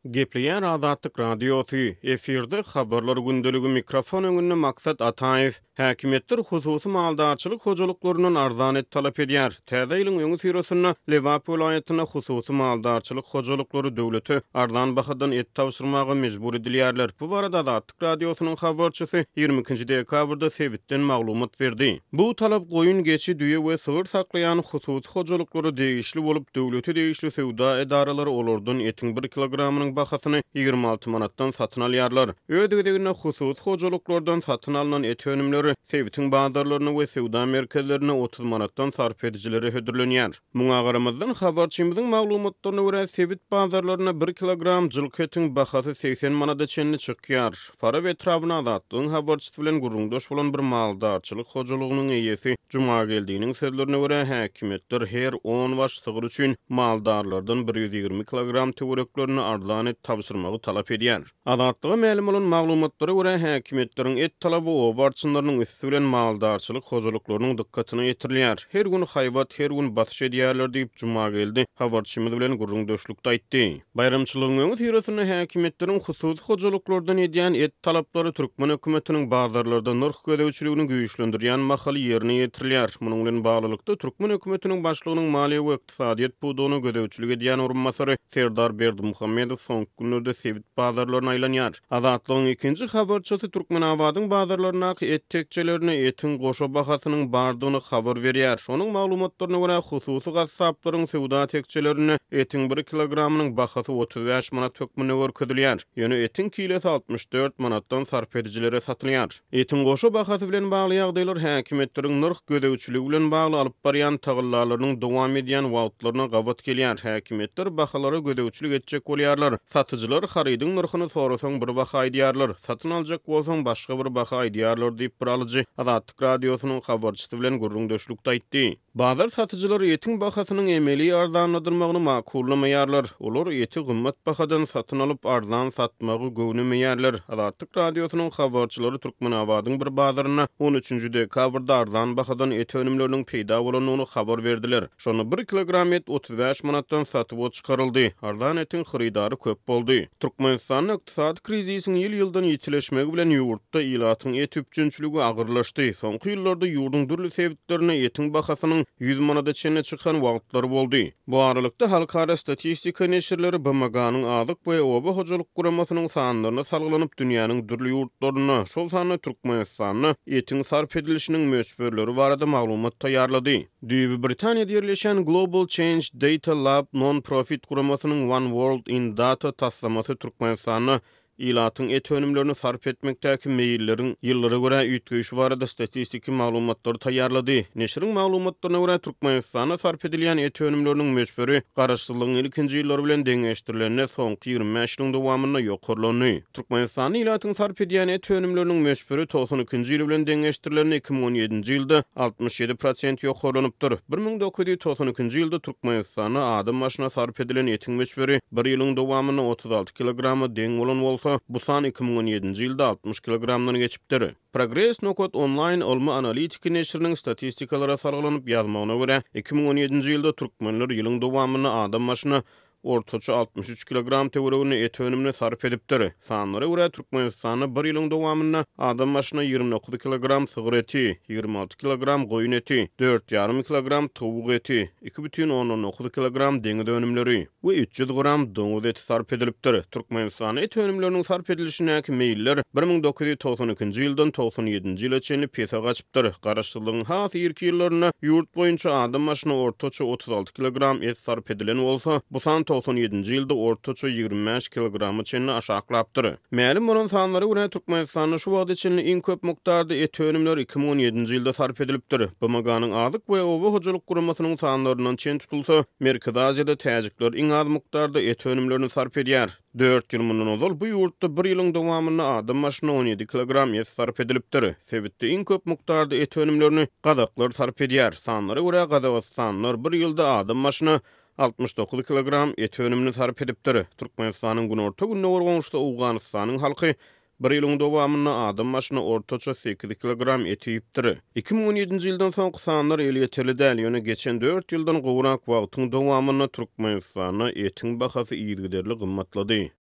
Gepleýär Azatlyk Radiosy, efirde Habarlar gündeligi, mikrofon öňünde Maksat Ataýew. Häkimiýetler hususy maldarçylyk hojalyklaryndan arzan et talap edýär. Täze ýylyň öňüsyrasynda Lebap welaýatynda hususy maldarçylyk hojalyklary döwlete arzan bahadan et tabşyrmaga mejbur edilýärler. Bu barada Azatlyk Radiosynyň habarçysy 22-nji dekabrda sebitden maglumat berdi. Bu talap goýun, geçi, düýe we sygyr saklaýan hususy hojalyklara degişli bolup, döwlete degişli söwda edaralary olardan etiň bir kilogramynyň bahasyny 26 manatdan satyn alýarlar. Öz gezeginde hususy hojalyklardan satyn alnan et önümleri sebitiň bazarlarynda we söwda merkezlerinde 30 manatdan sarp edijilere hödürlenýär. Muňa garamazdan, habarçymyzyň maglumatlaryna görä, sebit bazarlarynda bir kilogram jylky etiň bahasy 80 manada çenli çykýar. Farap etrabynda Azatlygyň habarçysy bilen gürrüňdeş bolan bir maldarçylyk hojalygynyň eýesi Jumageldiniň sözlerine görä, häkimiýetler her on baş sygyr üçin maldarlardan 120 kilogram töwereklerinde arzan et tabşyrmagy talap edýär. Azatlyga mälim bolan maglumatlara görä, häkimiýetleriň et talaby oba arçynlarynyň üsti bilen maldarçylyk hojalyklarynyň dykgatyna ýetirilýär. Her gün haýbat, her gün basyş edýärler diýip, Jumageldi habarçymyz bilen gürrüňdeşlikde aýtdy. Baýramçylygyň öňüsyrasynda häkimiýetleriň hususy hojalyklardan edýän et talaplary türkmen hökümetiniň bazarlarda nyrh gözegçiligini güýçlendirýän mahaly ýerine ýetirilýär. Munuň bilen baglylykda, türkmen hökümetiniň başlygynyň maliýe we ykdysadyýet pudagyna gözegçilik edýän orunbasary Serdar Berdimuhamedow soňky günlerde sebit bazarlaryna aýlanýar. Azatlygyň ikinji habarçysy Türkmenabadyň bazarlaryndaky et tekjelerinde etiň goşa bahasynyň bardygyny habar berýär. Onuň maglumatlaryna görä, hususy gassaplaryň söwda tekjelerinde etiň bir kilogramynyň bahasy 35 manat hökmünde görkezilýär. Ýöne etiň kilesi 64 manatdan sarp edijilere satylýar. Etiň goşa bahasy bilen bagly ýagdaýlar häkimiýetleriň nyrh gözegçiligi bilen bagly alyp barýan tagallalarynyň dowam edýän wagtlaryna gabat gelýär. Häkimiýetler bahalara gözegçilik etjek bolýarlar. Satyjylar harydyň nyrhyny sorasaň bir baha aýdýarlar, satyn aljak bolsaň başga bir baha aýdýarlar diýip, bir alyjy Azatlyk Radiosynyň habarçysy bilen gürrüňdeşlikde aýtdy. Bazar satyjylary etiň bahasynyň emeli arzanladylmagyny makullamaýarlar. Olar eti gymmat bahadan satyn alyp, arzan satmagy göwnemeýärler. Azatlyk Radiosynyň habarçylary Türkmenabadyň bir bazarynda on üçünji dekabrda arzan bahadan et önümleriniň peýda bolandygyny habar berdiler. Şonda bir kilogram et 35 manatdan satuwa çykaryldy. Arzan etiň hyrydary köp boldy. Türkmenistanda ykdysady krizisiň ýyl-ýyldan ýitileşmegi bilen ýurtda ilatyň et üpjünçiligi agyrlaşdy. Soňky ýyllarda ýurduň dürli sebitlerinde etiň bahasynyň 100 manada çenli çykan wagtlary boldy. Bu aralykda, halkara statistika neşirleri BMG-niň Azyk we oba hojalyk guramasynyň sanlaryna salgylanyp, dünýäniň dürli ýurtlarynda, şol sanda Türkmenistanda etiň sarp edilişiniň möçberleri barada maglumat taýýarlady. Düýbi Britaniýada ýerleşýän Global Change Data Lab non-profit guramasynyň One World in Data taslamasy Türkmenistanda ilatyň et önümlerini sarp etmekdäki meýilleriň ýyllara görä üýtgeýşi barada statistiki maglumatlary taýýarlady. Neşiriň maglumatlaryna görä, Türkmenistanda sarp edilýän et önümleriniň möçberi garaşsyzlygyň ilkinji ýyllary bilen deňeşdirilende soňky 25 ýylyň dowamynda ýokarlandy. Türkmenistanda ilatyň sarp edýän et önümleriniň möçberi 92-nji ýyl bilen deňeşdirilende 2017-nji ýylda 67 prosent ýokarlanypdyr. 1992-nji ýylda Türkmenistanda adam başyna sarp edilen etiň möçberi bir ýylyň dowamynda 36 kilograma deň bolan bolsa, bu san 2017-nji ýylda 60 kilogramdan geçipdir. Progres nokat onlaýn ylmy-analitiki neşiriniň statistikalara salgylanyp ýazmagyna görä, 2017-nji ýylda türkmenler ýylyň dowamynda adam başyna ortaça 63 kilogram töwereginde et önümini sarp edipdir. Sanlara görä, Türkmenistanda bir ýylyň dowamynda adam başyna 29 kilogram sygyr eti, 26 kilogram goýun eti, dört ýarym kilogram towuk eti, 2,9 kilogram deňiz önümleri we 300 gram doňuz eti sarp edilipdir. Türkmenistanda et önümleriniň sarp edilişindäki meýiller 1992-nji ýyldan 97-nji ýyla çenli pese gaçypdyr. Garaşsyzlygyň has irki ýyllarynda ýurt boýunça adam başyna ortaça 36 kilogram et sarp edilen bolsa, bu san 97-nji ýylda ortaça 25 kilograma çenli aşaklapdyr. Mälim bolan sanlara görä, Türkmenistanda şu wagta çenli iň köp mukdarda et önümleri 2017-nji ýylda sarp edilipdir. BMG-niň Azyk we oba hojalyk guramasynyň sanlaryndan çen tutulsa, Merkezi Aziýada täjikler iň az mukdarda et önümlerini sarp edýär. Dört ýyl mundan ozal bu ýurtda bir ýylyň dowamynda adam başyna 17 kilogram et sarp edilipdir. Sebitde iň köp mukdarda et önümlerini gazaklar sarp edýär. Sanlara görä, gazagystanlylar bir ýylda adam başyna 69 kilogram et önümini sarp edipdir. Türkmenistanyň günorta-gündogar goňşusy Owganystanyň halky Bir ýylyň dowamynda adam başyna ortaça 8 kilogram et iýipdir. 2017-nji ýyldan soňky sanlar elýeterli däl, ýöne geçen dört ýyldan gowrak wagtyň dowamynda Türkmenistanda etiň bahasy yzygiderli gymmatlady.